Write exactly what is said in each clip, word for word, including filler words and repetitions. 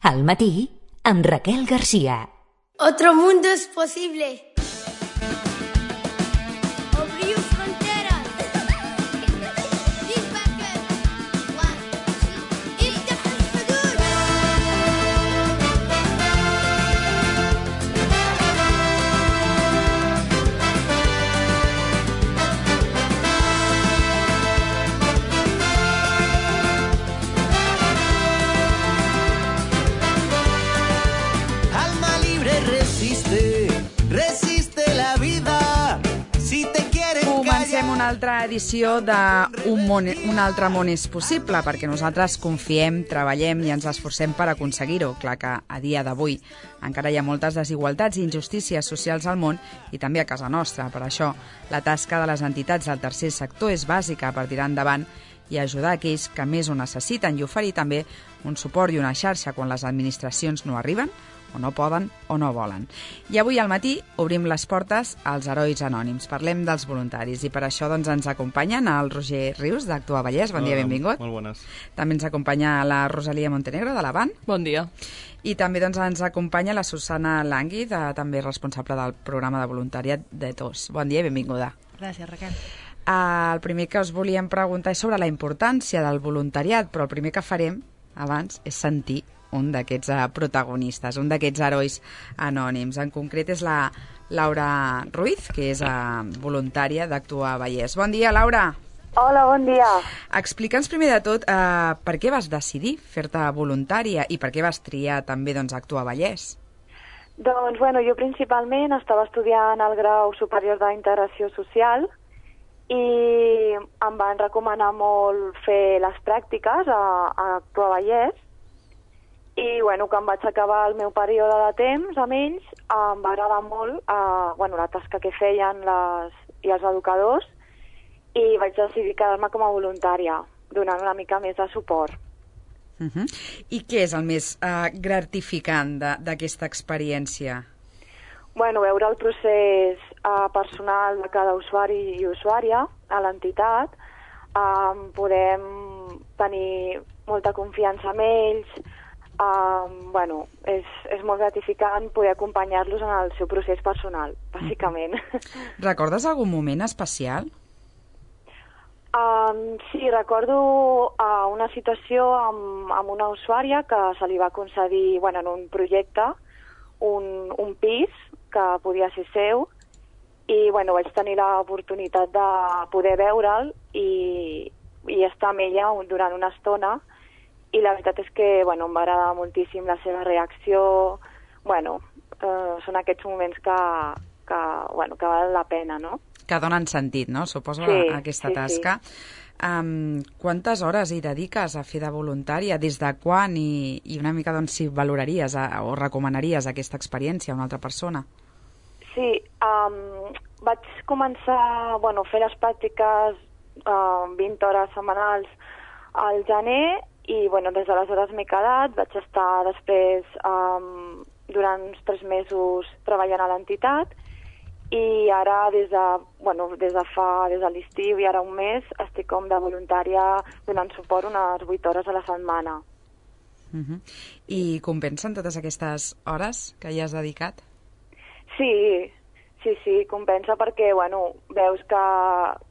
Al matí, amb Raquel García. Otro mundo es posible. Abriu fronteras. Comencem una altra edició d'Un món, un altre món és possible, perquè nosaltres confiem, treballem i ens esforcem per aconseguir-ho. Clar que a dia d'avui encara hi ha moltes desigualtats i injustícies socials al món i també a casa nostra. Per això, la tasca de les entitats del tercer sector és bàsica per tirar endavant i ajudar aquells que més ho necessiten i oferir també un suport i una xarxa quan les administracions no arriben, o no poden o no volen. I avui al matí obrim les portes als herois anònims. Parlem dels voluntaris i per això doncs, ens acompanyen el Roger Rius d'Actua Vallès. Bon dia, benvingut. Molt bones. També ens acompanya la Rosalia Montenegro de l'Avant. Bon dia. I també doncs, ens acompanya la Susana Langui, de, també responsable del programa de voluntariat de T O S. Bon dia i benvinguda. Gràcies, Raquel. Uh, el primer que us volíem preguntar és sobre la importància del voluntariat, però el primer que farem abans és sentir un d'aquests uh, protagonistes, un d'aquests herois anònims. En concret és la Laura Ruiz, que és uh, voluntària d'Actua Vallès. Bon dia, Laura. Hola, bon dia. Explica'ns primer de tot uh, per què vas decidir fer-te voluntària i per què vas triar també doncs, Actua Vallès. Doncs, bueno, jo principalment estava estudiant el grau superior d'integració social i em van recomanar molt fer les pràctiques a, a Actua Vallès. I bueno, quan vaig acabar el meu període de temps amb ells, em va agradar molt eh, bueno, la tasca que feien les, i els educadors i vaig decidir quedar-me com a voluntària, donant una mica més de suport. Uh -huh. I què és el més eh, gratificant d'aquesta experiència? Bueno, veure el procés eh, personal de cada usuari i usuària a l'entitat, eh, podem tenir molta confiança en ells. Um, bueno, és, és molt gratificant poder acompanyar-los en el seu procés personal, bàsicament. Recordes algun moment especial? Um, sí, recordo uh, una situació amb, amb una usuària que se li va concedir, bueno, en un projecte, un, un pis que podia ser seu, i bueno, vaig tenir l'oportunitat de poder veure'l i, i estar amb ella durant una estona. I la veritat és que bueno, em va agradar moltíssim la seva reacció. Bueno, eh, són aquests moments que, que, bueno, que val la pena, no? Que donen sentit, no? Suposo, sí, a aquesta sí, tasca. Sí. Um, quantes hores hi dediques a fer de voluntària? Des de quan? I, i una mica, doncs, si valoraries a, o recomanaries aquesta experiència a una altra persona? Sí, um, vaig començar bueno, a fer les pràctiques uh, vint hores setmanals al gener. I bueno, des d'aleshores m'he quedat, vaig estar després um, durant uns tres mesos treballant a l'entitat i ara des de, bueno, des de fa, des de l'estiu i ara un mes estic com de voluntària donant suport unes vuit hores a la setmana. Uh-huh. I compensen totes aquestes hores que hi has dedicat? Sí, sí, sí, compensa perquè bueno, veus que,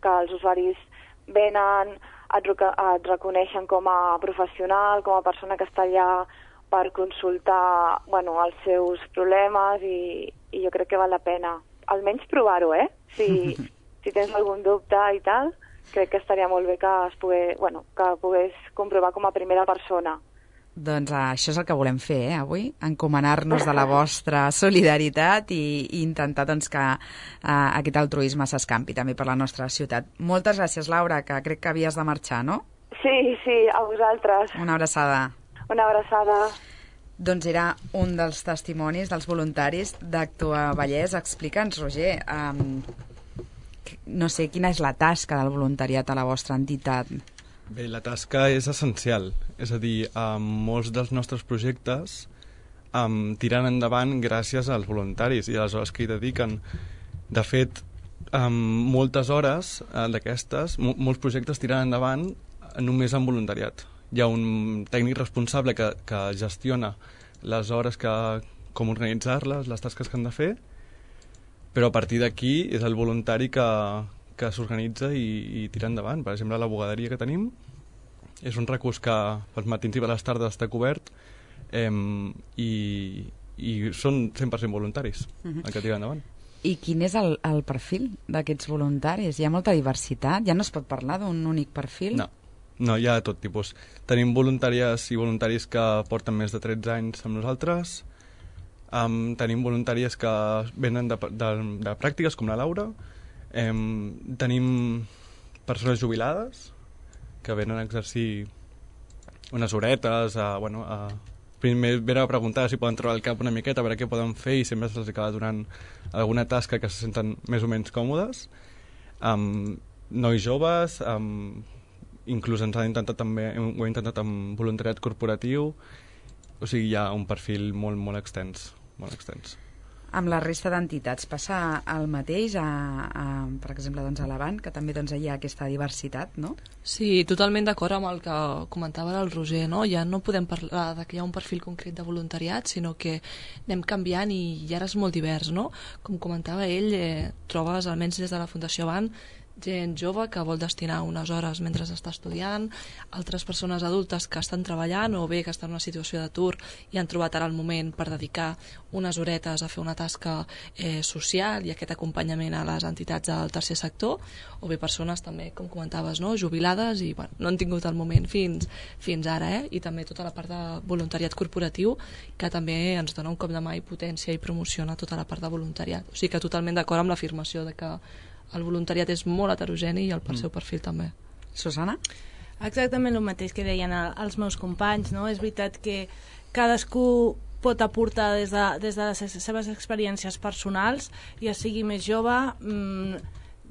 que els usuaris venen, et, et reconeixen com a professional, com a persona que està allà per consultar bueno, els seus problemes i, i jo crec que val la pena. Almenys provar-ho, eh? Si, si tens algun dubte i tal, crec que estaria molt bé que es pogués, bueno, que pogués comprovar com a primera persona. Doncs uh, això és el que volem fer, eh, avui, encomanar-nos de la vostra solidaritat i, i intentar doncs, que uh, aquest altruisme s'escampi també per la nostra ciutat. Moltes gràcies, Laura, que crec que havies de marxar, no? Sí, sí, a vosaltres. Una abraçada. Una abraçada. Doncs era un dels testimonis dels voluntaris d'Actua Vallès. Explica'ns, Roger, um, no sé, quina és la tasca del voluntariat a la vostra entitat? Bé, la tasca és essencial, és a dir, um, molts dels nostres projectes um, tiren endavant gràcies als voluntaris i a les hores que hi dediquen. De fet, um, moltes hores uh, d'aquestes, mo molts projectes tiren endavant només amb voluntariat. Hi ha un tècnic responsable que, que gestiona les hores que, com organitzar-les, les tasques que han de fer, però a partir d'aquí és el voluntari que, que s'organitza i, i tira endavant. Per exemple, la bugaderia que tenim és un recurs que pels matins i per les tardes està cobert eh, i, i són cent per cent voluntaris uh-huh. el que tira endavant. I quin és el, el perfil d'aquests voluntaris? Hi ha molta diversitat? Ja no es pot parlar d'un únic perfil? No, no, hi ha de tot tipus. Tenim voluntàries i voluntaris que porten més de tretze anys amb nosaltres, um, tenim voluntàries que venen de, de, de pràctiques, com la Laura, um, tenim persones jubilades que venen a exercir unes horetes, a, bueno, a primer venen a preguntar si poden treure el cap una miqueta, a veure què poden fer, i sempre se'ls acaba donant alguna tasca que se senten més o menys còmodes. Um, nois joves, um, inclús ens han intentat també, ho hem intentat amb voluntariat corporatiu, o sigui, hi ha un perfil molt, molt extens, molt extens. Amb la resta d'entitats passa el mateix, a, a, per exemple, doncs a l'Avant, que també doncs, hi ha aquesta diversitat, no? Sí, totalment d'acord amb el que comentava el Roger, no? Ja no podem parlar de que hi ha un perfil concret de voluntariat, sinó que anem canviant i, i ara és molt divers, no? Com comentava ell, eh, trobes, almenys des de la Fundació Avant, gent jove que vol destinar unes hores mentre està estudiant, altres persones adultes que estan treballant o bé que estan en una situació d'atur i han trobat ara el moment per dedicar unes horetes a fer una tasca eh, social i aquest acompanyament a les entitats del tercer sector, o bé persones també, com comentaves, no? Jubilades i bueno, no han tingut el moment fins, fins ara, eh? I també tota la part de voluntariat corporatiu que també ens dona un cop de mà i potència i promociona tota la part de voluntariat. O sigui que totalment d'acord amb l'afirmació de que el voluntariat és molt heterogeni i el per seu perfil també. Susana? Exactament el mateix que deien els meus companys, no? És veritat que cadascú pot aportar des de, des de les seves experiències personals, ja sigui més jove, mmm,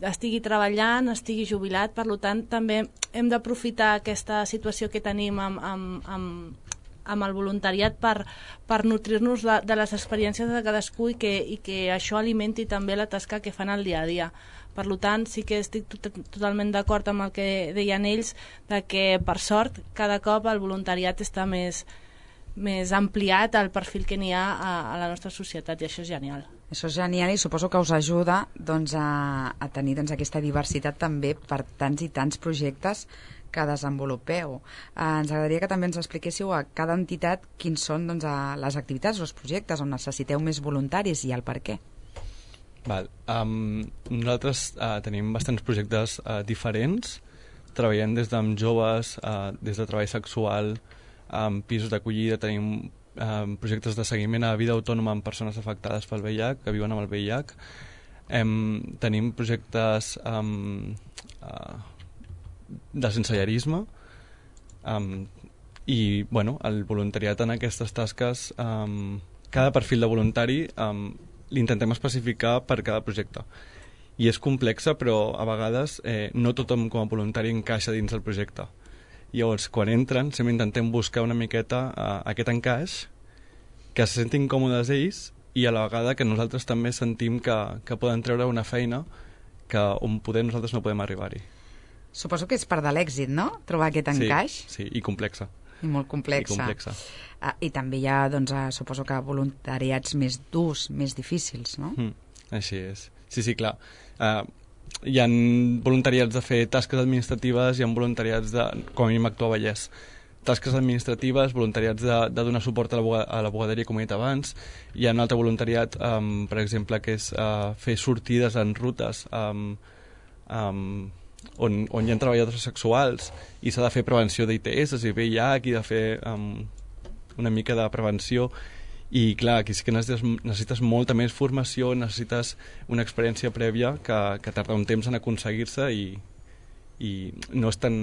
estigui treballant, estigui jubilat, per tant també hem d'aprofitar aquesta situació que tenim amb, amb, amb, amb el voluntariat per, per nutrir-nos de, de les experiències de cadascú i que, i que això alimenti també la tasca que fan al dia a dia. Per tant, sí que estic tot, totalment d'acord amb el que deien ells, de que, per sort, cada cop el voluntariat està més, més ampliat al perfil que n'hi ha a, a la nostra societat, i això és genial. Això és genial i suposo que us ajuda doncs, a, a tenir doncs, aquesta diversitat també per tants i tants projectes que desenvolupeu. Eh, ens agradaria que també ens expliquéssiu a cada entitat quins són doncs, a les activitats o els projectes on necessiteu més voluntaris i el per què. Val. Um, nosaltres uh, tenim bastants projectes uh, diferents, treballem des d'amb joves, uh, des de treball sexual, amb pisos d'acollida, tenim um, projectes de seguiment a vida autònoma amb persones afectades pel V I H, que viuen amb el V I H. Um, tenim projectes um, uh, de sensellarisme um, i bueno, el voluntariat en aquestes tasques, um, cada perfil de voluntari um, l'intentem especificar per cada projecte. I és complexa, però a vegades eh, no tothom com a voluntari encaixa dins el projecte. Llavors, quan entren, sempre intentem buscar una miqueta eh, aquest encaix, que se sentin còmodes ells i a la vegada que nosaltres també sentim que, que poden treure una feina que on poder nosaltres no podem arribar-hi. Suposo que és part de l'èxit, no?, trobar aquest encaix. Sí, sí, i complexa. I molt complexa. I complexa. Uh, I també hi ha, doncs, uh, suposo que voluntariats més durs, més difícils, no? Mm, així és. Sí, sí, clar. Uh, hi ha voluntariats de fer tasques administratives, hi ha voluntariats de, com a mínim actuar a Vallès, tasques administratives, voluntariats de, de donar suport a la, a la bugaderia, com he dit abans. Hi ha un altre voluntariat, um, per exemple, que és uh, fer sortides en rutes um, um, on, on hi ha treballadors sexuals i s'ha de fer prevenció d'I T S i V I H i de fer um, una mica de prevenció. I clar, aquí sí que necessites, necessites molta més formació, necessites una experiència prèvia que, que tarda un temps en aconseguir-se i, i no és tan,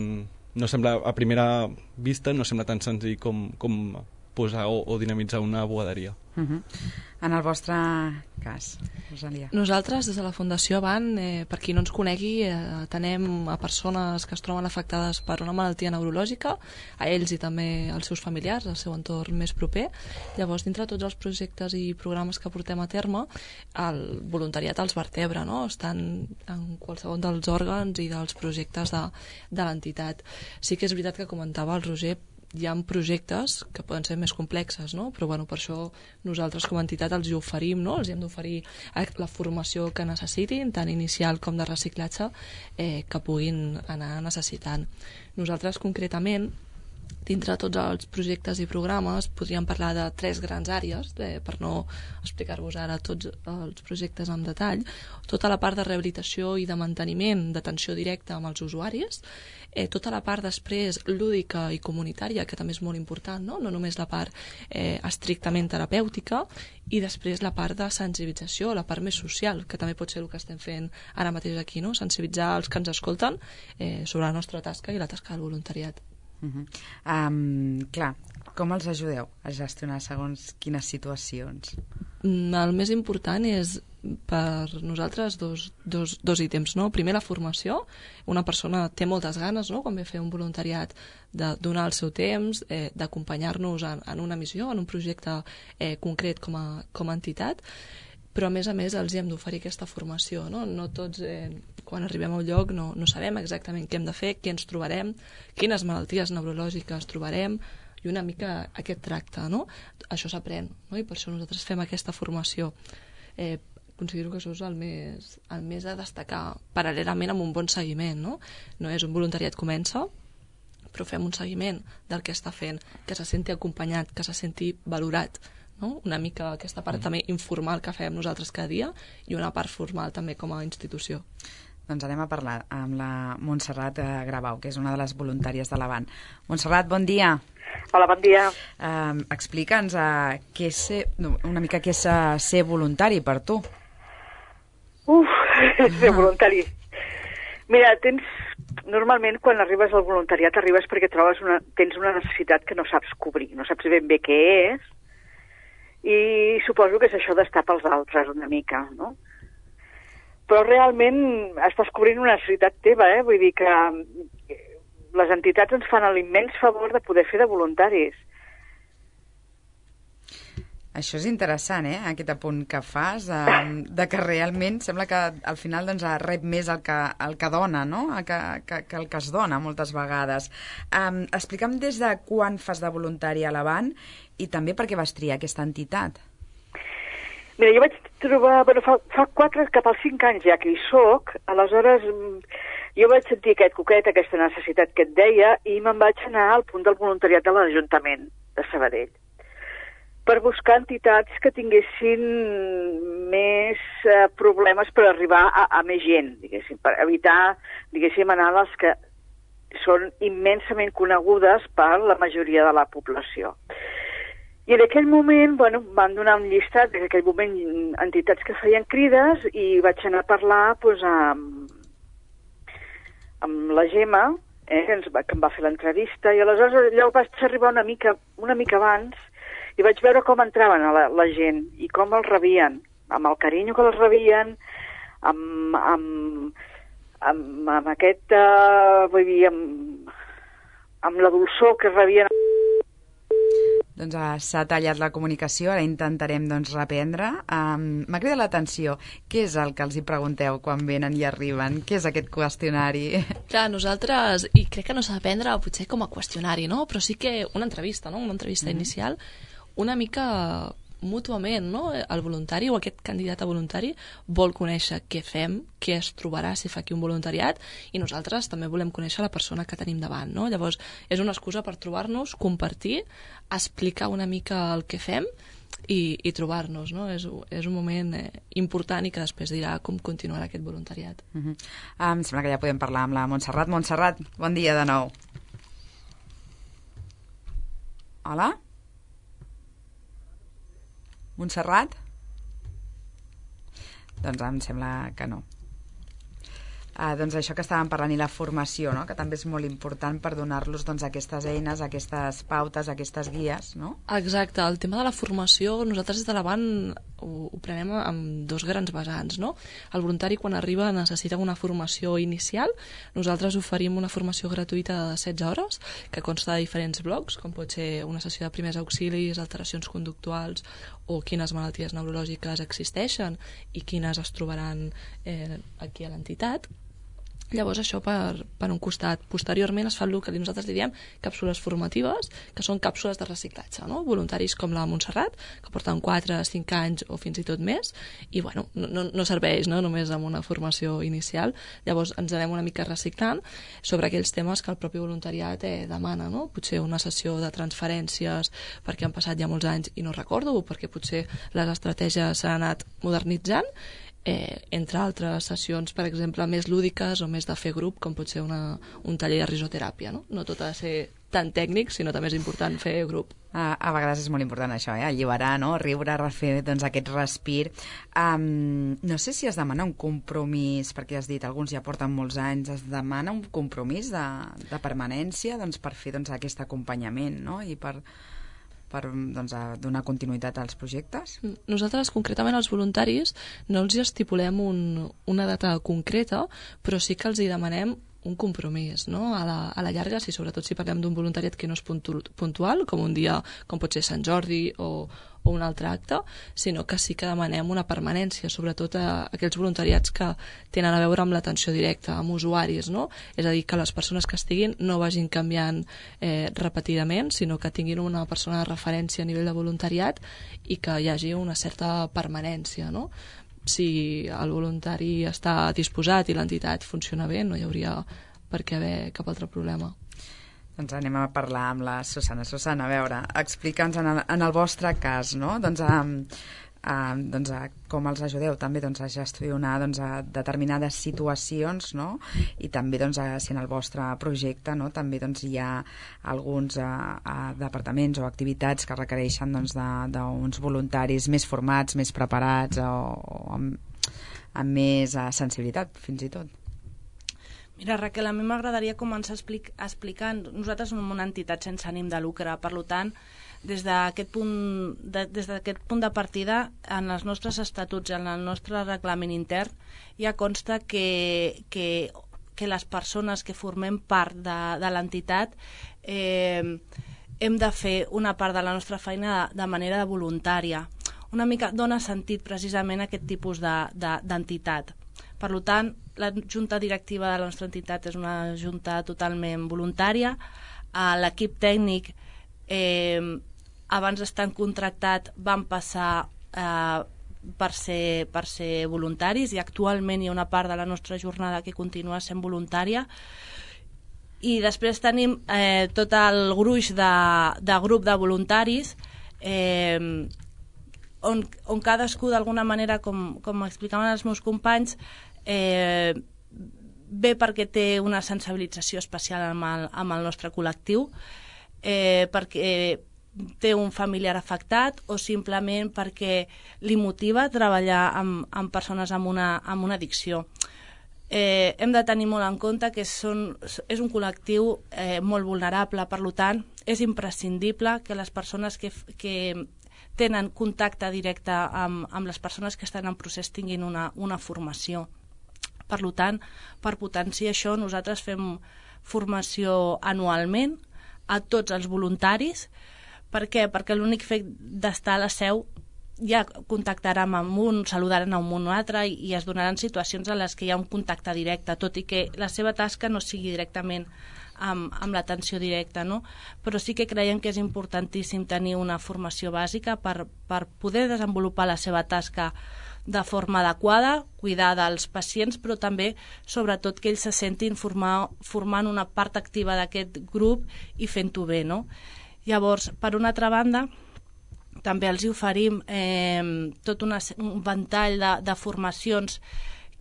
no sembla, a primera vista no sembla tan senzill com, com posar o, o dinamitzar una bugaderia. Uh-huh. En el vostre cas, Rosalia? Nosaltres, des de la Fundació Avant, eh, per qui no ens conegui, eh, atenem a persones que es troben afectades per una malaltia neurològica, a ells i també als seus familiars, al seu entorn més proper. Llavors, dintre de tots els projectes i programes que portem a terme, el voluntariat els vertebra, no? Estan en qualsevol dels òrgans i dels projectes de, de l'entitat. Sí que és veritat que comentava el Roger, hi ha projectes que poden ser més complexes, no? Però bueno, per això nosaltres com a entitat els hi oferim, no? Els hi hem d'oferir la formació que necessitin, tant inicial com de reciclatge, eh, que puguin anar necessitant. Nosaltres concretament, dintre de tots els projectes i programes, podríem parlar de tres grans àrees, eh, per no explicar-vos ara tots els projectes en detall. Tota la part de rehabilitació i de manteniment, d'atenció directa amb els usuaris, eh, tota la part després lúdica i comunitària, que també és molt important, no, no només la part eh, estrictament terapèutica, i després la part de sensibilització, la part més social, que també pot ser el que estem fent ara mateix aquí, no? Sensibilitzar els que ens escolten eh, sobre la nostra tasca i la tasca del voluntariat. Uh -huh. um, clar, com els ajudeu a gestionar segons quines situacions? El més important és per nosaltres dos, dos, dos ítems, no? Primer, la formació. Una persona té moltes ganes, no?, quan ve a fer un voluntariat, de donar el seu temps, eh, d'acompanyar-nos en, en una missió, en un projecte eh, concret com a, com a entitat, però a més a més els hem d'oferir aquesta formació, no? No tots, eh, quan arribem a un lloc, no, no sabem exactament què hem de fer, què ens trobarem, quines malalties neurològiques trobarem, i una mica aquest tracte, no? Això s'aprèn, no? I per això nosaltres fem aquesta formació. Eh, considero que això és el més, el més a destacar, paral·lelament amb un bon seguiment, no? No és un voluntariat comença, però fem un seguiment del que està fent, que se senti acompanyat, que se senti valorat, no? Una mica aquesta part mm. també informal que fem nosaltres cada dia i una part formal també com a institució. Doncs anem a parlar amb la Montserrat Grabau, que és una de les voluntàries de l'Avant. Montserrat, bon dia. Hola, bon dia. Uh, Explica'ns uh, què és ser, una mica què és uh, ser voluntari per tu. Uf, ser voluntari. Mira, tens... Normalment, quan arribes al voluntariat, arribes perquè trobes una, tens una necessitat que no saps cobrir, no saps ben bé què és, i suposo que és això d'estar pels altres una mica, no? Però realment estàs cobrint una necessitat teva, eh? Vull dir que les entitats ens fan l'immens favor de poder fer de voluntaris. Això és interessant, eh?, aquest apunt que fas, eh, de que realment sembla que al final doncs, rep més el que, el que dona, no?, que, que, que el que es dona moltes vegades. Um, explica'm des de quan fas de voluntari a l'Avant i també per què vas triar aquesta entitat. Mira, jo vaig trobar... Bueno, fa, fa quatre, cap als cinc anys ja que hi soc, aleshores jo vaig sentir aquest coquet, aquesta necessitat que et deia, i me'n vaig anar al punt del voluntariat de l'Ajuntament de Sabadell, per buscar entitats que tinguessin més eh, problemes per arribar a, a més gent, diguéssim, per evitar, diguéssim, anar a les que són immensament conegudes per la majoria de la població. I en aquell moment, bueno, van donar un llistat, en aquell moment, entitats que feien crides, i vaig anar a parlar doncs, amb, amb la Gemma, eh, que, ens va, que em va fer l'entrevista, i aleshores allò vaig arribar una mica, una mica abans, i vaig veure com entraven a la, la gent i com els rebien, amb el carinyo que els rebien, amb, amb, amb, amb aquest, uh, vull dir, amb, amb la dolçor que rebien. Doncs uh, s'ha tallat la comunicació, ara intentarem doncs, reprendre. Um, M'ha cridat l'atenció. Què és el que els hi pregunteu quan venen i arriben? Què és aquest qüestionari? Clar, nosaltres, i crec que no s'ha de prendre potser com a qüestionari, no? Però sí que una entrevista, no? Una entrevista mm-hmm. inicial, una mica mútuament, no? El voluntari o aquest candidat a voluntari vol conèixer què fem, què es trobarà si fa aquí un voluntariat, i nosaltres també volem conèixer la persona que tenim davant, no? Llavors, és una excusa per trobar-nos, compartir, explicar una mica el que fem i, i trobar-nos, no? És, és un moment eh, important i que després dirà com continuarà aquest voluntariat. Uh-huh. Em sembla que ja podem parlar amb la Montserrat. Montserrat, bon dia de nou. Hola? Montserrat? Doncs em sembla que no. Ah, doncs això que estàvem parlant, i la formació, no?, que també és molt important per donar-los doncs, aquestes eines, aquestes pautes, aquestes guies, no? Exacte, el tema de la formació nosaltres des de l'Avant ho, ho prenem amb dos grans vessants, no? El voluntari quan arriba necessita una formació inicial, nosaltres oferim una formació gratuïta de setze hores que consta de diferents blocs, com pot ser una sessió de primers auxilis, alteracions conductuals o quines malalties neurològiques existeixen i quines es trobaran eh, aquí a l'entitat. Llavors això per, per un costat. Posteriorment es fa el que nosaltres li diem càpsules formatives, que són càpsules de reciclatge, no? Voluntaris com la Montserrat, que porten quatre, cinc anys o fins i tot més, i bueno, no, no serveix, no? Només amb una formació inicial. Llavors ens anem una mica reciclant sobre aquells temes que el propi voluntariat eh, demana, no? Potser una sessió de transferències perquè han passat ja molts anys i no recordo, o perquè potser les estratègies s'han anat modernitzant, Eh, entre altres sessions, per exemple, més lúdiques o més de fer grup, com pot ser una, un taller de risoteràpia, no? No tot ha de ser tan tècnic, sinó també és important fer grup. A, a vegades és molt important això, eh? Alliberar, no? Riure, refer doncs, aquest respir. Um, no sé si es demana un compromís, perquè has dit, alguns ja porten molts anys, es demana un compromís de, de permanència doncs, per fer doncs, aquest acompanyament, no? I per... per doncs, donar continuïtat als projectes? Nosaltres, concretament, els voluntaris, no els estipulem un, una data concreta, però sí que els hi demanem un compromís, no? A la, a la llarga, si sobretot si parlem d'un voluntariat que no és puntu, puntual, com un dia, com pot ser Sant Jordi o, o un altre acte, sinó que sí que demanem una permanència, sobretot a, a aquells voluntariats que tenen a veure amb l'atenció directa, amb usuaris, no? És a dir, que les persones que estiguin no vagin canviant eh, repetidament, sinó que tinguin una persona de referència a nivell de voluntariat i que hi hagi una certa permanència, no? Si el voluntari està disposat i l'entitat funciona bé, no hi hauria per què haver cap altre problema. Doncs anem a parlar amb la Susana. Susana, a veure, explica'ns en el, en el vostre cas, no? Doncs, um, um, doncs uh, com els ajudeu també doncs, a gestionar doncs, a determinades situacions, no? I també doncs, a, si en el vostre projecte no? també doncs, hi ha alguns uh, uh, departaments o activitats que requereixen doncs, d'uns voluntaris més formats, més preparats o, o amb, amb més uh, sensibilitat, fins i tot. Mira, Raquel, a mi m'agradaria començar explic explicant. Nosaltres som una entitat sense ànim de lucre, per tant, des d'aquest punt, de, des d'aquest punt de partida, en els nostres estatuts, en el nostre reglament intern, ja consta que, que, que les persones que formem part de, de l'entitat eh, hem de fer una part de la nostra feina de, de manera voluntària. Una mica dona sentit precisament a aquest tipus d'entitat. De, Per tant, la junta directiva de la nostra entitat és una junta totalment voluntària. L'equip tècnic, eh, abans d'estar contractat, van passar eh, per, ser, per ser voluntaris i actualment hi ha una part de la nostra jornada que continua sent voluntària. I després tenim eh, tot el gruix de, de grup de voluntaris eh, on, on cadascú d'alguna manera, com, com explicaven els meus companys, Eh, bé perquè té una sensibilització especial amb el, amb el nostre col·lectiu, eh, perquè té un familiar afectat o simplement perquè li motiva treballar amb, amb persones amb una, amb una addicció. Eh, hem de tenir molt en compte que són, és un col·lectiu eh, molt vulnerable, per tant, és imprescindible que les persones que, que tenen contacte directe amb, amb les persones que estan en procés tinguin una, una formació. Per tant, per potenciar això, nosaltres fem formació anualment a tots els voluntaris. Per què? Perquè l'únic fet d'estar a la seu ja contactaran amb un, saludaran amb un altre i, i es donaran situacions en les que hi ha un contacte directe, tot i que la seva tasca no sigui directament amb, amb l'atenció directa, no? Però sí que creiem que és importantíssim tenir una formació bàsica per, per poder desenvolupar la seva tasca de forma adequada, cuidar dels pacients, però també, sobretot, que ells se sentin formar, formant una part activa d'aquest grup i fent-ho bé, no? Llavors, per una altra banda, també els oferim eh, tot una, un ventall de, de formacions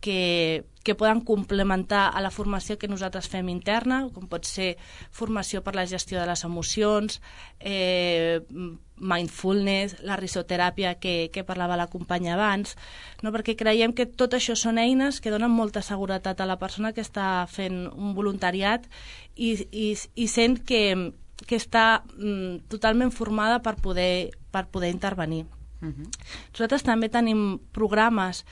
que, que poden complementar a la formació que nosaltres fem interna, com pot ser formació per la gestió de les emocions, eh, mindfulness, la risoteràpia que, que parlava la companya abans, no? Perquè creiem que tot això són eines que donen molta seguretat a la persona que està fent un voluntariat i, i, i sent que, que està mm, totalment formada per poder, per poder intervenir. Uh-huh. Nosaltres també tenim programes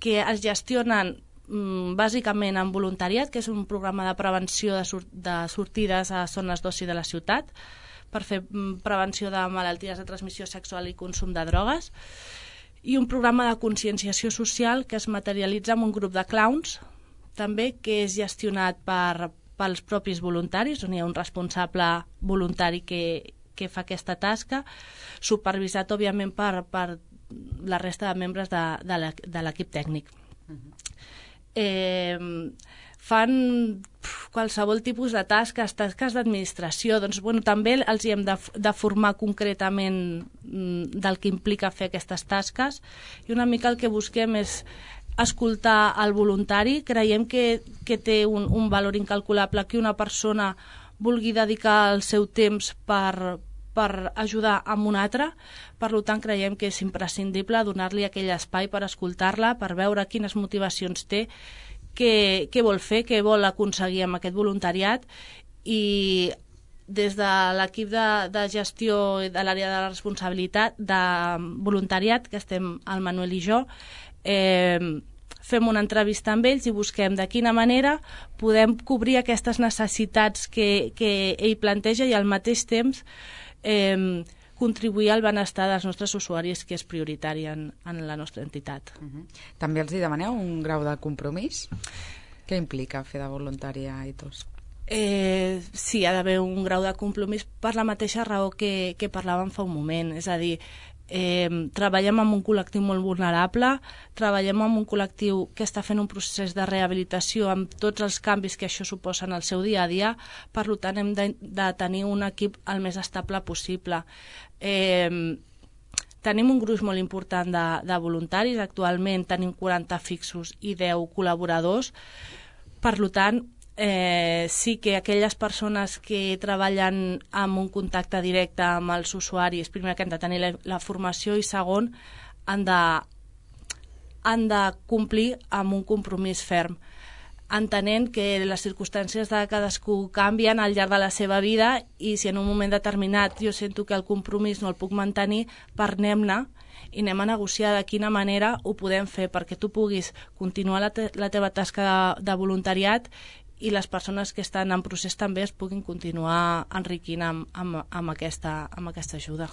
que es gestionen mm, bàsicament en voluntariat, que és un programa de prevenció de, sur de sortides a zones d'oci de la ciutat, per fer prevenció de malalties de transmissió sexual i consum de drogues, i un programa de conscienciació social que es materialitza amb un grup de clowns també que és gestionat per, pels propis voluntaris, on hi ha un responsable voluntari que, que fa aquesta tasca, supervisat, òbviament, per, per la resta de membres de, de l'equip tècnic. Uh-huh. Eh, fan qualsevol tipus de tasques, tasques d'administració, doncs bueno, també els hi hem de, de formar concretament del que implica fer aquestes tasques, i una mica el que busquem és escoltar el voluntari. Creiem que, que té un, un valor incalculable que una persona vulgui dedicar el seu temps per, per ajudar amb un altre. Per tant, creiem que és imprescindible donar-li aquell espai per escoltar-la, per veure quines motivacions té, què, què vol fer, què vol aconseguir amb aquest voluntariat, i des de l'equip de, de gestió de l'àrea de la responsabilitat de voluntariat, que estem el Manuel i jo, eh, fem una entrevista amb ells i busquem de quina manera podem cobrir aquestes necessitats que, que ell planteja i al mateix temps eh, contribuir al benestar dels nostres usuaris, que és prioritari en, en la nostra entitat. Uh-huh. També els hi demaneu un grau de compromís? Què implica fer de voluntari a Ethos? Eh, sí, ha d'haver un grau de compromís per la mateixa raó que, que parlàvem fa un moment, és a dir, Eh, treballem amb un col·lectiu molt vulnerable, treballem amb un col·lectiu que està fent un procés de rehabilitació amb tots els canvis que això suposa en el seu dia a dia, per tant hem de, de tenir un equip el més estable possible. Eh, tenim un gruix molt important de, de voluntaris, actualment tenim quaranta fixos i deu col·laboradors, per tant Eh, sí que aquelles persones que treballen amb un contacte directe amb els usuaris, primer que han de tenir la, la formació, i segon, han de, han de complir amb un compromís ferm, entenent que les circumstàncies de cadascú canvien al llarg de la seva vida, i si en un moment determinat jo sento que el compromís no el puc mantenir, parlem-ne i anem a negociar de quina manera ho podem fer perquè tu puguis continuar la, te la teva tasca de, de voluntariat, i les persones que estan en procés també es puguin continuar enriquint amb, amb, amb, aquesta, amb aquesta ajuda.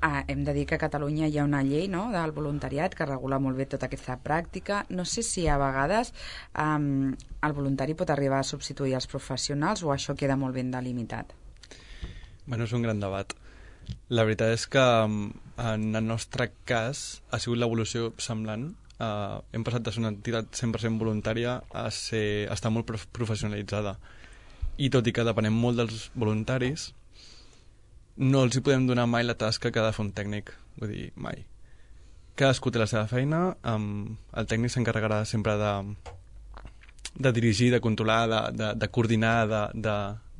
Ah, hem de dir que a Catalunya hi ha una llei, no?, del voluntariat que regula molt bé tota aquesta pràctica. No sé si a vegades um, el voluntari pot arribar a substituir els professionals o això queda molt ben delimitat. Bueno, és un gran debat. La veritat és que en el nostre cas ha sigut l'evolució semblant. Uh, hem passat de ser una entitat cent per cent voluntària a, ser, a estar molt prof professionalitzada, i tot i que depenem molt dels voluntaris, no els hi podem donar mai la tasca que ha de fer un tècnic, vull dir, mai. Cadascú té la seva feina, um, el tècnic s'encarregarà sempre de, de dirigir, de controlar, de, de, de coordinar,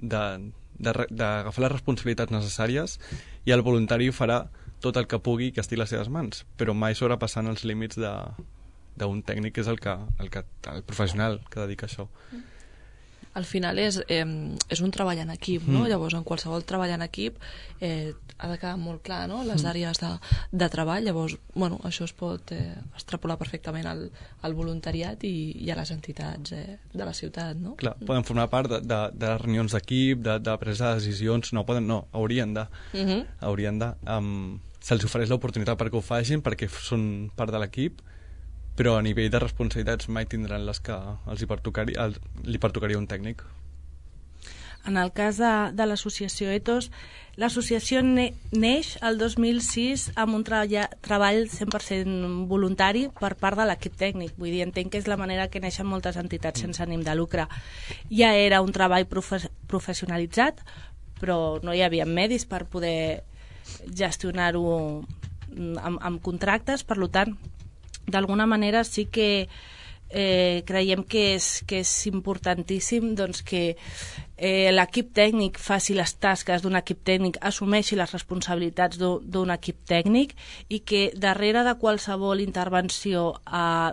d'agafar les responsabilitats necessàries, i el voluntari farà tot el que pugui que estigui a les seves mans, però mai sobrepassant els límits d'un tècnic, que és el, que, el, que, el professional que dedica a això. Al final és, eh, és un treball en equip, no? Mm. Llavors, en qualsevol treball en equip eh, ha de quedar molt clar, no?, les àrees de, de treball. Llavors, bueno, això es pot eh, extrapolar perfectament al, al voluntariat i, i a les entitats eh, de la ciutat, no? Clar, poden formar part de, de, de les reunions d'equip, de, de presa de decisions, no poden, no, haurien de, uh -huh. haurien de, um, se'ls ofereix l'oportunitat perquè ho facin, perquè són part de l'equip, però a nivell de responsabilitats mai tindran les que els hi pertocaria, el, li pertocaria un tècnic. En el cas de, de l'associació Ethos, l'associació ne, neix el dos mil sis amb un treball, treball cent per cent voluntari per part de l'equip tècnic. Vull dir, entenc que és la manera que neixen moltes entitats sense ànim de lucre. Ja era un treball profe professionalitzat, però no hi havia medis per poder gestionar-ho amb, amb contractes, per tant, d'alguna manera sí que eh, creiem que és, que és importantíssim doncs, que eh, l'equip tècnic faci les tasques d'un equip tècnic, assumeixi les responsabilitats d'un equip tècnic, i que darrere de qualsevol intervenció eh,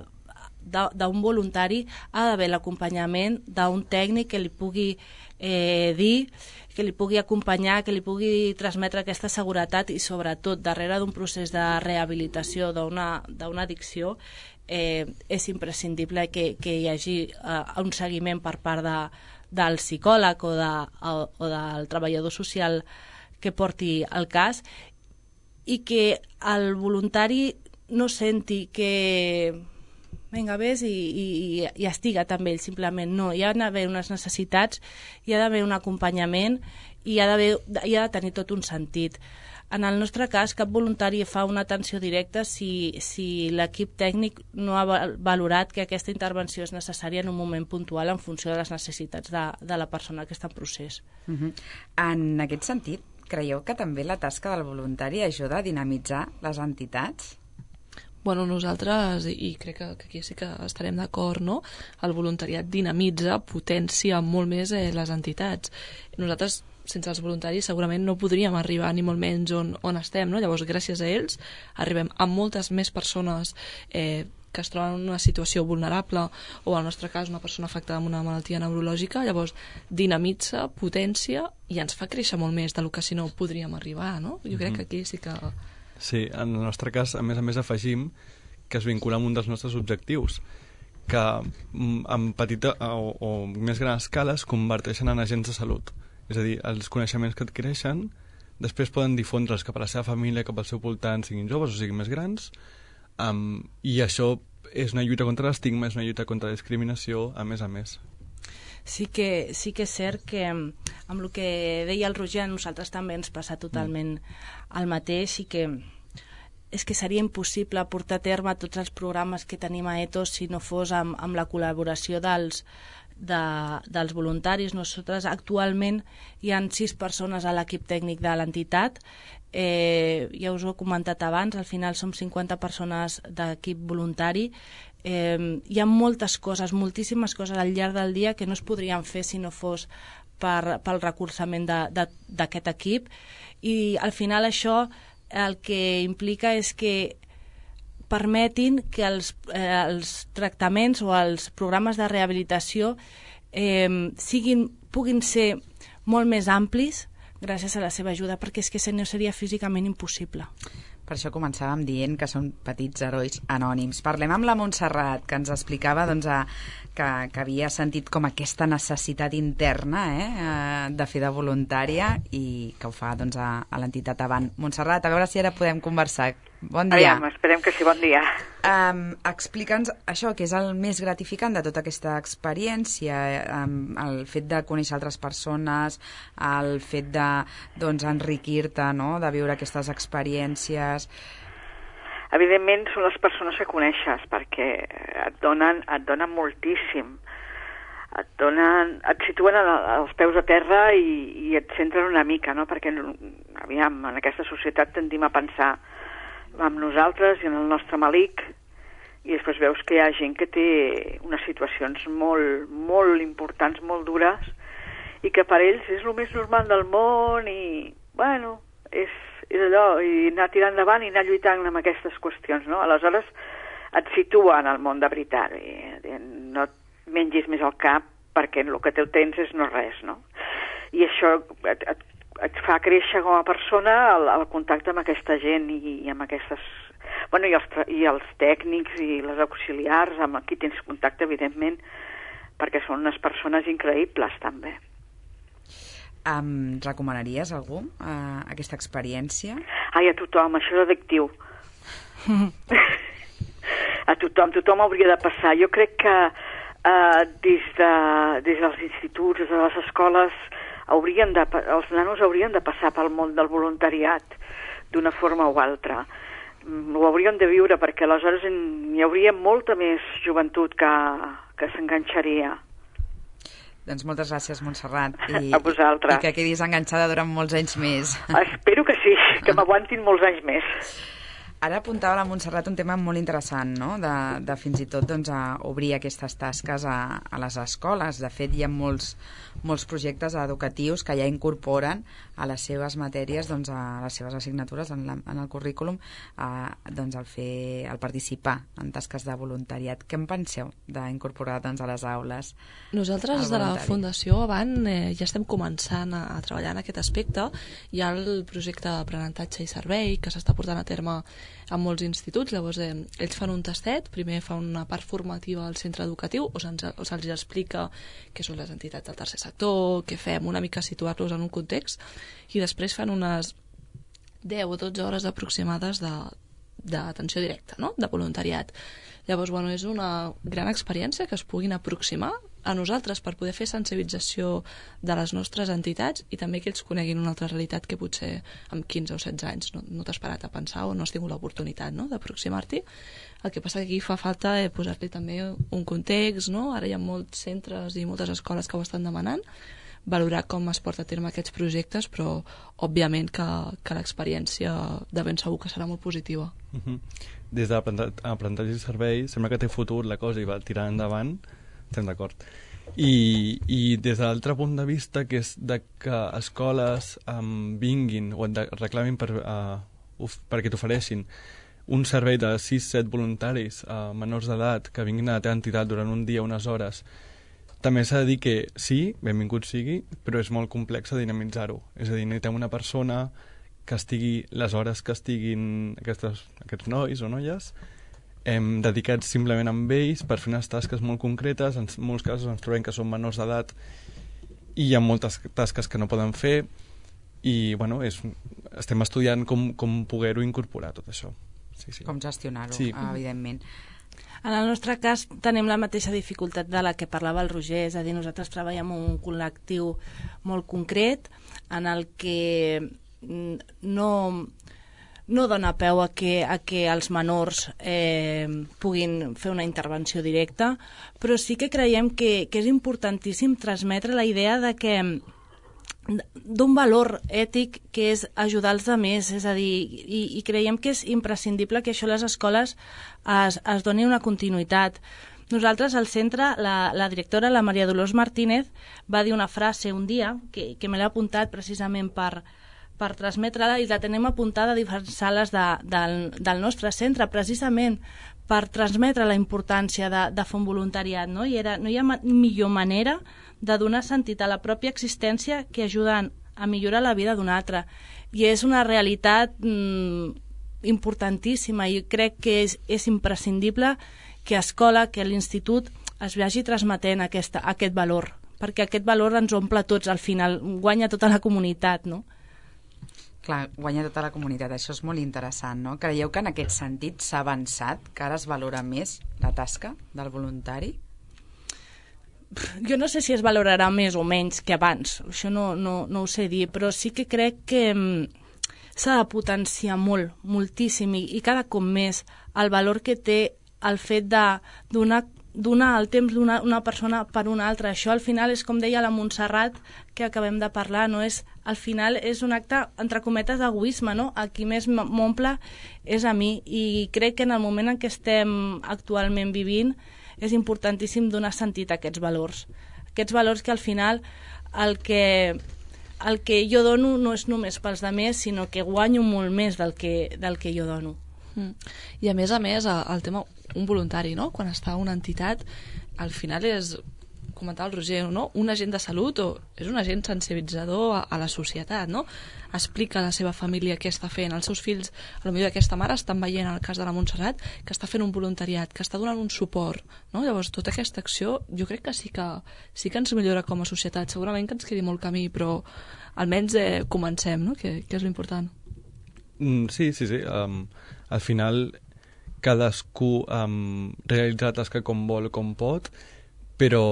d'un voluntari ha d'haver l'acompanyament d'un tècnic que li pugui eh, dir, que li pugui acompanyar, que li pugui transmetre aquesta seguretat, i sobretot darrere d'un procés de rehabilitació d'una addicció eh, és imprescindible que, que hi hagi eh, un seguiment per part de, del psicòleg o, de, o, o del treballador social que porti el cas, i que el voluntari no senti que vinga, vés i, i, i estiga't amb ells, simplement. No, hi ha d'haver unes necessitats, hi ha d'haver un acompanyament i hi ha, hi ha de tenir tot un sentit. En el nostre cas, cap voluntari fa una atenció directa si, si l'equip tècnic no ha valorat que aquesta intervenció és necessària en un moment puntual en funció de les necessitats de, de la persona que està en procés. Uh-huh. En aquest sentit, creieu que també la tasca del voluntari ajuda a dinamitzar les entitats? Bueno, nosaltres, i crec que, que aquí sí que estarem d'acord, no? El voluntariat dinamitza, potencia molt més eh, les entitats. Nosaltres, sense els voluntaris, segurament no podríem arribar ni molt menys on, on estem, no? Llavors, gràcies a ells, arribem a moltes més persones eh, que es troben en una situació vulnerable o, en el nostre cas, una persona afectada amb una malaltia neurològica. Llavors, dinamitza, potència i ens fa créixer molt més del que si no podríem arribar, no? Jo crec que aquí sí que... Sí, en el nostre cas, a més a més, afegim que es vincula amb un dels nostres objectius, que en petita o, o més gran escala es converteixen en agents de salut. És a dir, els coneixements que adquireixen després poden difondre'ls cap a la seva família, cap al seu voltant, siguin joves o siguin més grans, um, i això és una lluita contra l'estigma, és una lluita contra la discriminació, a més a més. Sí que, sí que és cert que amb el que deia el Roger a nosaltres també ens passa totalment el mateix i que és que seria impossible portar a terme tots els programes que tenim a Ethos si no fos amb, amb la col·laboració dels, de, dels voluntaris. Nosaltres actualment hi ha sis persones a l'equip tècnic de l'entitat. Eh, ja us ho he comentat abans, al final som cinquanta persones d'equip voluntari. Eh, hi ha moltes coses, moltíssimes coses al llarg del dia que no es podrien fer si no fos per, pel recolzament d'aquest equip, i al final això el que implica és que permetin que els, eh, els tractaments o els programes de rehabilitació eh, siguin, puguin ser molt més amplis gràcies a la seva ajuda, perquè és que no seria físicament impossible. Per això començàvem dient que són petits herois anònims. Parlem amb la Montserrat, que ens explicava doncs, a, que, que havia sentit com aquesta necessitat interna eh, de fer de voluntària i que ho fa doncs, a, a l'entitat Avant. Montserrat, a veure si ara podem conversar. Bon dia. Aviam, esperem que sí, bon dia. Um, Explica'ns això, que és el més gratificant de tota aquesta experiència, um, el fet de conèixer altres persones, el fet de doncs, enriquir-te, no?, de viure aquestes experiències. Evidentment són les persones que coneixes, perquè et donen, et donen moltíssim. Et, donen, et situen als peus a terra i, i et centren una mica, no?, perquè aviam, en aquesta societat tendim a pensar amb nosaltres i en el nostre malic, i després veus que hi ha gent que té unes situacions molt, molt importants, molt dures, i que per ells és el més normal del món i, bueno, és, és allò, i anar tirant endavant i anar lluitant amb aquestes qüestions, no? Aleshores et situa en el món de veritat, i no et mengis més al cap perquè el que teu tens és no res, no? I això et, et et fa créixer com a persona el, el contacte amb aquesta gent i, i amb aquestes... Bueno, i els, i els tècnics i les auxiliars amb qui tens contacte, evidentment, perquè són unes persones increïbles, també. Um, recomanaries a algú uh, aquesta experiència? Ai, a tothom, això és addictiu. A tothom, tothom hauria de passar. Jo crec que uh, des, de, des dels instituts, des de les escoles, haurien de, els nanos haurien de passar pel món del voluntariat d'una forma o altra. Ho hauríem de viure, perquè aleshores hi hauria molta més joventut que, que s'enganxaria. Doncs moltes gràcies, Montserrat. I, a vosaltres. I que quedis enganxada durant molts anys més. Espero que sí, que m'aguantin molts anys més. Ara apuntava la Montserrat un tema molt interessant, no?, de, de fins i tot doncs, a obrir aquestes tasques a, a les escoles. De fet, hi ha molts, molts projectes educatius que ja incorporen a les seves matèries, doncs, a les seves assignatures en, la, en el currículum, a, doncs, el, fer, el participar en tasques de voluntariat. Què en penseu d'incorporar doncs, a les aules? Nosaltres, des de la Fundació Avant, eh, ja estem començant a, a treballar en aquest aspecte. Hi ha el projecte d'aprenentatge i servei que s'està portant a terme en molts instituts. Llavors eh, ells fan un tastet, primer fan una part formativa al centre educatiu, o se'ls, o se'ls explica què són les entitats del tercer sector, què fem, una mica situar-los en un context, i després fan unes deu o dotze hores aproximades de, d'atenció directa, no? De voluntariat. Llavors, bueno, és una gran experiència que es puguin aproximar a nosaltres per poder fer sensibilització de les nostres entitats i també que ells coneguin una altra realitat que potser amb quinze o setze anys no, no t'has parat a pensar o no has tingut l'oportunitat, no?, d'aproximar-t'hi. El que passa que aquí fa falta eh, posar-li també un context, no? Ara hi ha molts centres i moltes escoles que ho estan demanant, valorar com es porta a terme aquests projectes, però òbviament que, que l'experiència de ben segur que serà molt positiva. Uh-huh. Des de l'aprenentatge i servei sembla que té futur la cosa i va tirar endavant, estem d'acord. I, i des de l'altre punt de vista, que és de que escoles um, vinguin o de, reclamin per, uh, uf, perquè t'ofereixin un servei de sis set voluntaris uh, menors d'edat que vinguin a la teva entitat durant un dia, unes hores. També s'ha de dir que sí, benvingut sigui, però és molt complex a dinamitzar-ho. És a dir, necessitem una persona que estigui les hores que estiguin aquestes, aquests nois o noies hem dedicats simplement amb ells per fer unes tasques molt concretes. En molts casos ens trobem que són menors d'edat i hi ha moltes tasques que no poden fer i bueno, és, estem estudiant com, com poder-ho incorporar tot això. Sí, sí. Com gestionar-ho, sí. Evidentment. En el nostre cas tenim la mateixa dificultat de la que parlava el Roger, és a dir, nosaltres treballem en un col·lectiu molt concret en el que no, no dona peu a que, a que els menors eh, puguin fer una intervenció directa, però sí que creiem que, que és importantíssim transmetre la idea de que d'un valor ètic que és ajudar els altres, és a dir, i, i creiem que és imprescindible que això a les escoles es, es doni una continuïtat. Nosaltres al centre, la, la directora, la Maria Dolors Martínez, va dir una frase un dia, que, que me l'he apuntat precisament per, per transmetre-la, i la tenim apuntada a diferents sales de, del, del nostre centre, precisament per transmetre la importància de, de fer un voluntariat, no? I era, no hi ha ma- millor manera de donar sentit a la pròpia existència que ajuden a millorar la vida d'un altre. I és una realitat mm, importantíssima i crec que és, és imprescindible que a escola, que a l'institut es vagi transmetent aquesta, aquest valor, perquè aquest valor ens omple tots, al final guanya tota la comunitat, no? Clar, guanya tota la comunitat, això és molt interessant, no? Creieu que en aquest sentit s'ha avançat, que ara es valora més la tasca del voluntari? Jo no sé si es valorarà més o menys que abans, això no, no, no ho sé dir, però sí que crec que s'ha de potenciar molt, moltíssim, i, i cada cop més el valor que té el fet de donar, donar el temps d'una una persona per una altra. Això al final és, com deia la Montserrat, que acabem de parlar, no? És, al final és un acte, entre cometes, d'egoisme, no? A qui més m'omple és a mi, i crec que en el moment en què estem actualment vivint és importantíssim donar sentit a aquests valors. Aquests valors que al final el que, el que jo dono no és només pels altres, sinó que guanyo molt més del que, del que jo dono. Mm. I a més a més, el tema, un voluntari, no? Quan està a una entitat, al final és, comentava el Roger, no? Un agent de salut o és un agent sensibilitzador a, a la societat, no? Explica a la seva família què està fent. Els seus fills, a lo millor aquesta mare, estan veient, en el cas de la Montserrat, que està fent un voluntariat, que està donant un suport, no? Llavors, tota aquesta acció, jo crec que sí que, sí que ens millora com a societat. Segurament que ens quedi molt camí, però almenys eh, comencem, no? Que, que és l'important. Mm, sí, sí, sí. Um, al final, cadascú um, realitza la tasca com vol, com pot, però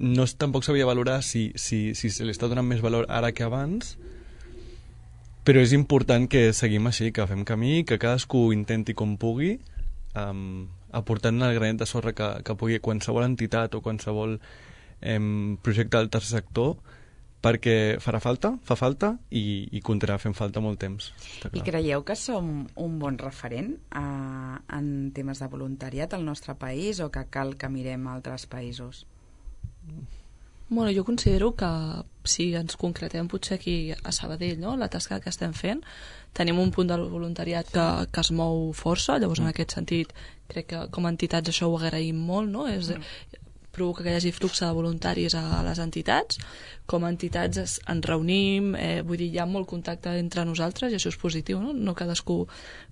no, tampoc s'havia de valorar si, si, si se li està donant més valor ara que abans, però és important que seguim així, que fem camí, que cadascú intenti com pugui, um, aportant el granet de sorra que, que pugui qualsevol entitat o qualsevol um, projecte del tercer sector, perquè farà falta, fa falta i, i continuarà fent falta molt temps. I creieu que som un bon referent a, en temes de voluntariat al nostre país o que cal que mirem a altres països? Bueno, jo considero que si ens concretem potser aquí a Sabadell, no? La tasca que estem fent, tenim un punt del voluntariat que, que es mou força, llavors en aquest sentit crec que com a entitats això ho agraïm molt, no? És, provoca que hi hagi flux de voluntaris a les entitats. Com a entitats es, ens reunim, eh, vull dir, hi ha molt contacte entre nosaltres i això és positiu, no? No cadascú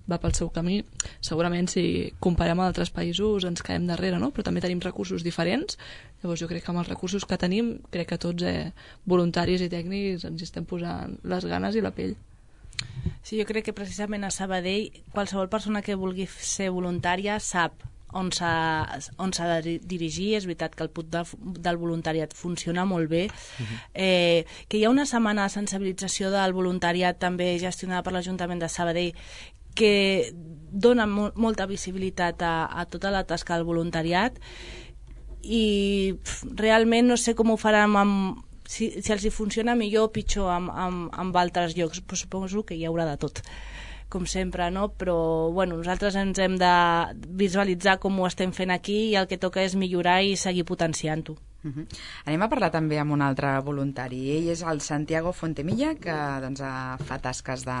va pel seu camí. Segurament si comparem amb altres països ens caiem darrere, no? Però també tenim recursos diferents. Llavors jo crec que amb els recursos que tenim, crec que tots eh, voluntaris i tècnics ens estem posant les ganes i la pell. Sí, jo crec que precisament a Sabadell qualsevol persona que vulgui ser voluntària sap on s'ha on s'ha de dirigir. És veritat que el punt de, del voluntariat funciona molt bé. Uh-huh. eh, que hi ha una setmana de sensibilització del voluntariat també gestionada per l'Ajuntament de Sabadell que dona mo molta visibilitat a, a tota la tasca del voluntariat i pf, realment no sé com ho faran amb, si, si els hi funciona millor o pitjor amb, amb, amb altres llocs, però suposo que hi haurà de tot com sempre, no? Però bueno, nosaltres ens hem de visualitzar com ho estem fent aquí i el que toca és millorar i seguir potenciant-ho. Uh-huh. Anem a parlar també amb un altre voluntari. Ell és el Santiago Fontemilla, que doncs, fa tasques de,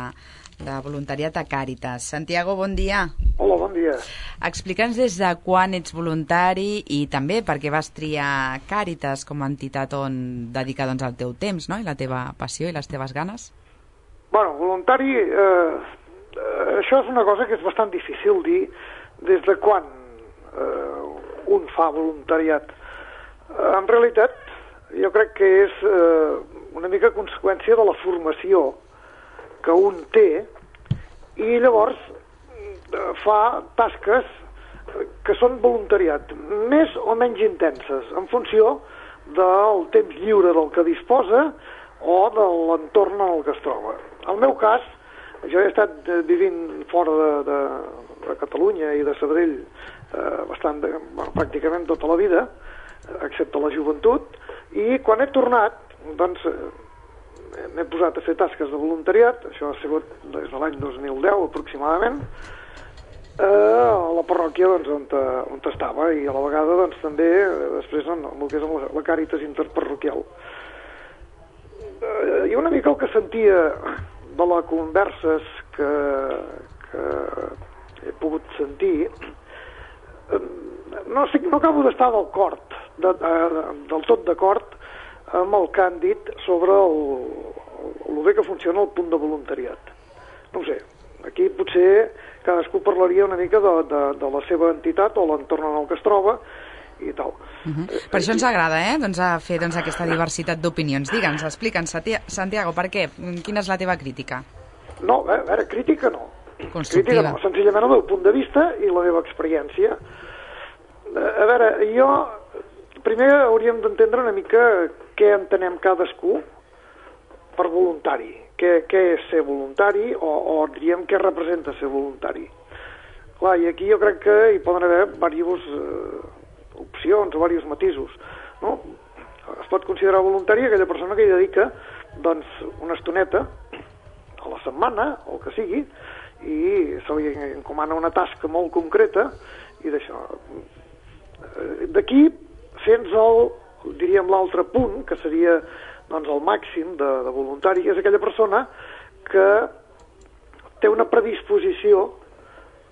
de voluntariat a Càritas. Santiago, bon dia. Hola, bon dia. Explica'ns des de quan ets voluntari i també per què vas triar Càritas com a entitat on dedicar doncs, el teu temps, no? I la teva passió i les teves ganes. Bueno, voluntari... Eh... Uh, això és una cosa que és bastant difícil dir des de quan uh, un fa voluntariat. Uh, en realitat, jo crec que és uh, una mica conseqüència de la formació que un té i llavors uh, fa tasques que són voluntariat, més o menys intenses, en funció del temps lliure del que disposa o de l'entorn en el que es troba. En el meu cas, jo he estat vivint fora de, de, de Catalunya i de Sabadell eh, bastant de, bueno, pràcticament tota la vida, excepte la joventut, i quan he tornat, doncs, eh, m'he posat a fer tasques de voluntariat, això ha sigut des de l'any dos mil deu aproximadament, eh, a la parròquia doncs, on, on estava, i a la vegada doncs, també eh, després en el que és la, la Càritas interparroquial. Eh, I una mica el que sentia de les converses que, que he pogut sentir, no, sé, no acabo d'estar del cort, de, de, del tot d'acord amb el que han dit sobre el, el bé que funciona el punt de voluntariat. No ho sé, aquí potser cadascú parlaria una mica de, de, de la seva entitat o l'entorn en el que es troba i tal. Uh-huh. Per això ens agrada, eh? doncs, a fer doncs, aquesta diversitat d'opinions. Digue'ns, explica'ns, Santiago, per què? Quina és la teva crítica? No, a veure, crítica no. Constructiva. Crítica no, senzillament el meu punt de vista i la meva experiència. A veure, jo... Primer hauríem d'entendre una mica què entenem cadascú per voluntari. Què, què és ser voluntari o, o diríem què representa ser voluntari. Clar, i aquí jo crec que hi poden haver diversos... Eh, opcions o diversos matisos, no? Es pot considerar voluntari aquella persona que hi dedica doncs, una estoneta a la setmana, o el que sigui, i se li encomana una tasca molt concreta i d'això. D'aquí, fins al, diríem, l'altre punt, que seria doncs, el màxim de, de voluntari, és aquella persona que té una predisposició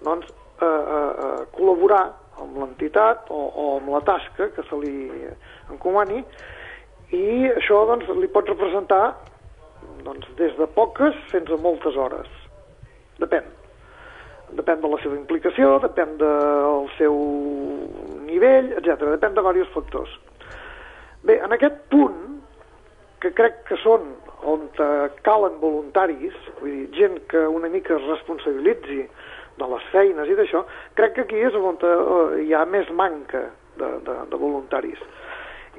doncs, a, a, a col·laborar amb l'entitat o, o amb la tasca que se li encomani, i això doncs, li pot representar doncs, des de poques fins a moltes hores. Depèn. Depèn de la seva implicació, depèn del seu nivell, etcètera. Depèn de diversos factors. Bé, en aquest punt, que crec que són on calen voluntaris, vull dir, gent que una mica es responsabilitzi de les feines i d'això, crec que aquí és on hi ha més manca de, de, de voluntaris.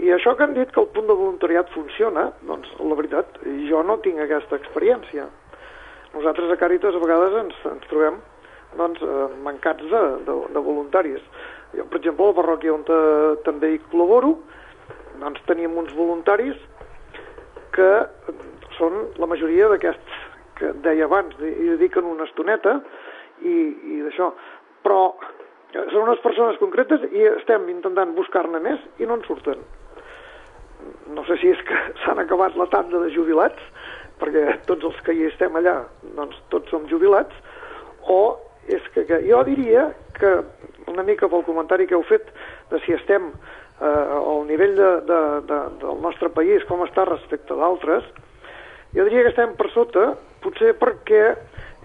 I això que han dit que el punt de voluntariat funciona, doncs la veritat, jo no tinc aquesta experiència. Nosaltres a Càritas a vegades ens, ens trobem doncs, mancats de, de, de voluntaris. Jo, per exemple, a la parròquia on també hi col·laboro, doncs teníem uns voluntaris que són la majoria d'aquests que deia abans, hi dediquen una estoneta i, i d'això, però són unes persones concretes i estem intentant buscar-ne més i no en surten. No sé si és que s'han acabat la tanda de jubilats, perquè tots els que hi estem allà, doncs tots som jubilats, o és que, que jo diria que, una mica pel comentari que heu fet de si estem eh, al nivell de, de, de, del nostre país, com està respecte d'altres, jo diria que estem per sota, potser perquè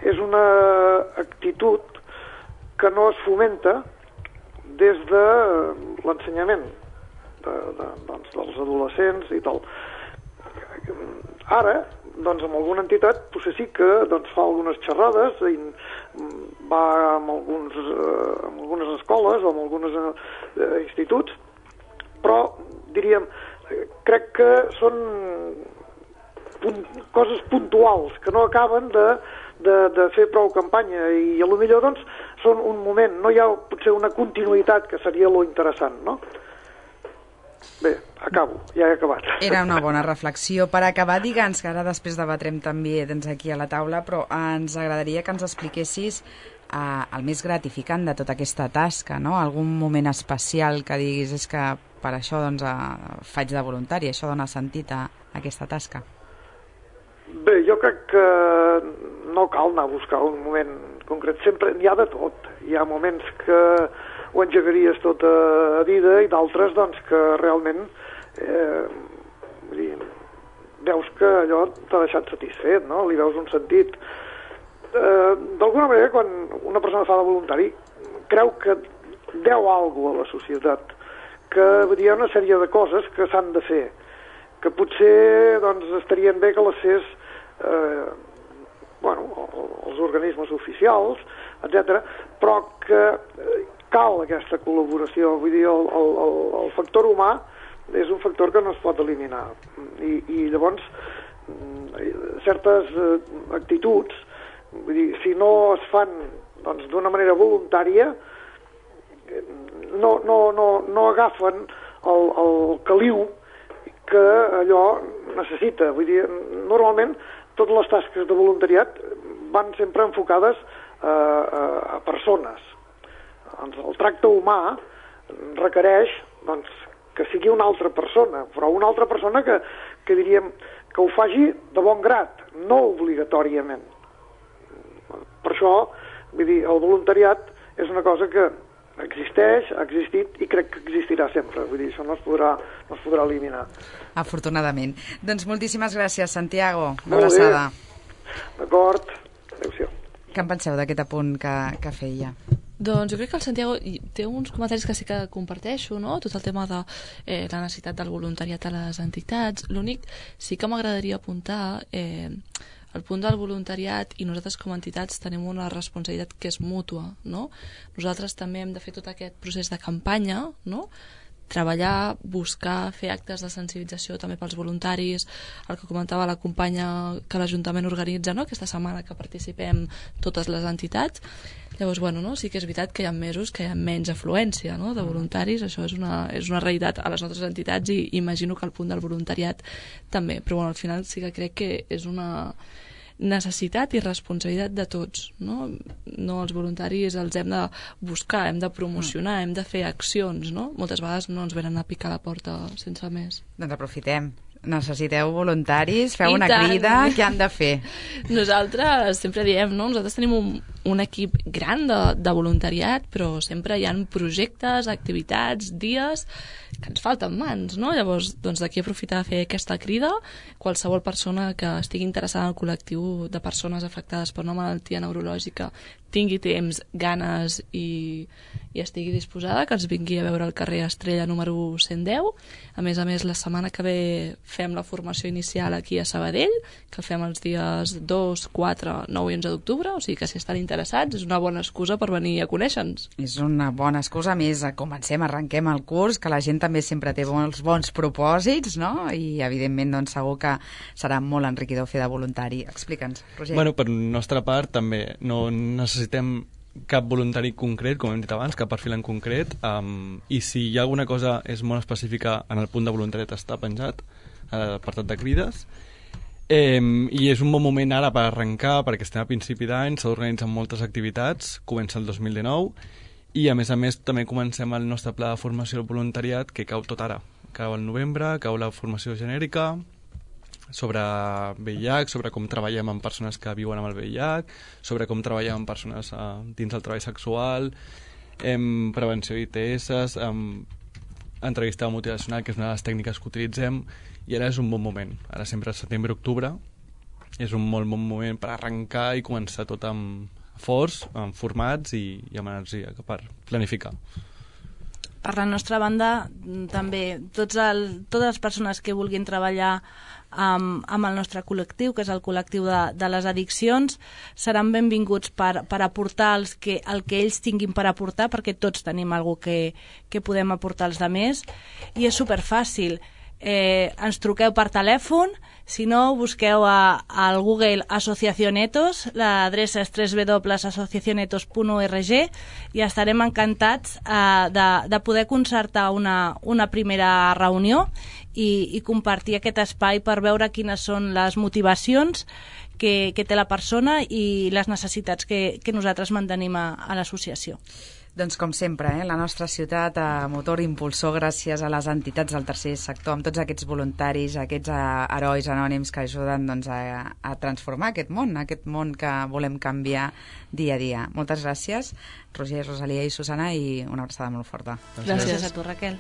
és una actitud que no es fomenta des de l'ensenyament de, de, doncs, dels adolescents i tal. Ara, doncs amb alguna entitat potser sí que doncs, fa algunes xerrades i va amb, alguns, eh, amb algunes escoles o amb alguns eh, instituts, però diríem, crec que són punt, coses puntuals que no acaben de, de, de fer prou campanya i a lo millor doncs són un moment, no hi ha potser una continuïtat que seria lo interessant, no? Bé, acabo, ja he acabat. Era una bona reflexió. Per acabar, digue'ns, que ara després debatrem també doncs, aquí a la taula, però ens agradaria que ens expliquessis eh, el més gratificant de tota aquesta tasca, no? Algun moment especial que diguis és que per això doncs, eh, faig de voluntari, això dona sentit a, a aquesta tasca. Bé, jo crec que no cal anar a buscar un moment concret, sempre n'hi ha de tot. Hi ha moments que ho engegaries tota a vida i d'altres doncs, que realment eh, vull dir, veus que allò t'ha deixat satisfet, no? Li veus un sentit. Eh, D'alguna manera, quan una persona fa de voluntari, creu que deu alguna cosa a la societat, que vull dir, hi ha una sèrie de coses que s'han de fer, que potser doncs, estarien bé que les fes eh, bueno, els organismes oficials, etcètera, però que eh, cal aquesta col·laboració. Vull dir, el, el, el factor humà és un factor que no es pot eliminar. I, i llavors, certes eh, actituds, vull dir, si no es fan doncs, d'una manera voluntària, no, no, no, no agafen el, el caliu que allò necessita. Vull dir, normalment, totes les tasques de voluntariat van sempre enfocades a, a, a persones. Doncs el tracte humà requereix doncs, que sigui una altra persona, però una altra persona que, que diríem que ho faci de bon grat, no obligatòriament. Per això, vull dir, el voluntariat és una cosa que existeix, ha existit i crec que existirà sempre. Vull dir, això no es podrà, no es podrà eliminar. Afortunadament. Doncs moltíssimes gràcies, Santiago. Una abraçada. D'acord. Adéu-siau. Què en penseu d'aquest apunt que, que feia? Doncs jo crec que el Santiago té uns comentaris que sí que comparteixo, no? Tot el tema de eh, la necessitat del voluntariat a les entitats. L'únic sí que m'agradaria apuntar eh, el punt del voluntariat, i nosaltres com a entitats tenim una responsabilitat que és mútua, no? Nosaltres també hem de fer tot aquest procés de campanya, no? Treballar, buscar, fer actes de sensibilització també pels voluntaris, el que comentava la companya que l'Ajuntament organitza, no? Aquesta setmana que participem totes les entitats. Llavors, bueno, no? Sí que és veritat que hi ha mesos que hi ha menys afluència, no? De voluntaris, això és una, és una realitat a les nostres entitats i imagino que el punt del voluntariat també, però bueno, al final sí que crec que és una necessitat i responsabilitat de tots, no? No, els voluntaris els hem de buscar, hem de promocionar, hem de fer accions, no? Moltes vegades no ens venen a picar la porta sense més. Doncs aprofitem. Necessiteu voluntaris, feu I una tant. crida, què han de fer? Nosaltres sempre diem, no? Nosaltres tenim un, un equip gran de, de voluntariat, però sempre hi ha projectes, activitats, dies que ens falten mans, no? Llavors, doncs d'aquí aprofitar a fer aquesta crida. Qualsevol persona que estigui interessada en el col·lectiu de persones afectades per una malaltia neurològica tingui temps, ganes i, i estigui disposada, que ens vingui a veure al carrer Estrella número cent deu. A més a més, la setmana que ve fem la formació inicial aquí a Sabadell, que fem els dies dos, quatre, nou i onze d'octubre, o sigui que si estan interessats és una bona excusa per venir a conèixer-nos. És una bona excusa, a més, comencem, arrenquem el curs, que la gent també sempre té bons, bons propòsits, no? I evidentment doncs, segur que serà molt enriquidor fer de voluntari. Explica'ns, Roger. Bueno, per nostra part també no necessitem cap voluntari concret, com hem dit abans, cap perfil en concret, um, i si hi ha alguna cosa és molt específica, en el punt de voluntariat està penjat a l'apartat de crides, eh, i és un bon moment ara per arrencar, perquè estem a principi d'any, s'ha d'organitzar moltes activitats, comença el dos mil dinou, i a més a més també comencem el nostre pla de formació del voluntariat, que cau tot ara, cau al novembre, cau la formació genèrica sobre V I H, sobre com treballem amb persones que viuen amb el V I H, sobre com treballem amb persones eh, dins del treball sexual, em, prevenció d'I T S, em, entrevista motivacional, que és una de les tècniques que utilitzem, i ara és un bon moment. Ara sempre setembre-octubre és un molt bon moment per arrencar i començar tot amb forç, amb formats i, i amb energia per planificar. per la nostra banda, també, tots el, totes les persones que vulguin treballar amb, amb el nostre col·lectiu, que és el col·lectiu de, de les addiccions, seran benvinguts per, per aportar els que, el que ells tinguin per aportar, perquè tots tenim alguna cosa que, que podem aportar als altres, i és superfàcil. Eh, ens truqueu per telèfon, si no busqueu a, al Google Asociación Etos, l'adreça és doble u doble u doble u punt asociación etos punt org, i estarem encantats eh, de, de poder concertar una, una primera reunió i, i compartir aquest espai per veure quines són les motivacions que, que té la persona i les necessitats que, que nosaltres mantenim a, a l'associació. Doncs com sempre, eh, la nostra ciutat a motor impulsor gràcies a les entitats del tercer sector, amb tots aquests voluntaris, aquests uh, herois anònims que ajuden doncs, a, a transformar aquest món, aquest món que volem canviar dia a dia. Moltes gràcies, Roger, Rosalia i Susana, i una abraçada molt forta. Gràcies, gràcies a tu, Raquel.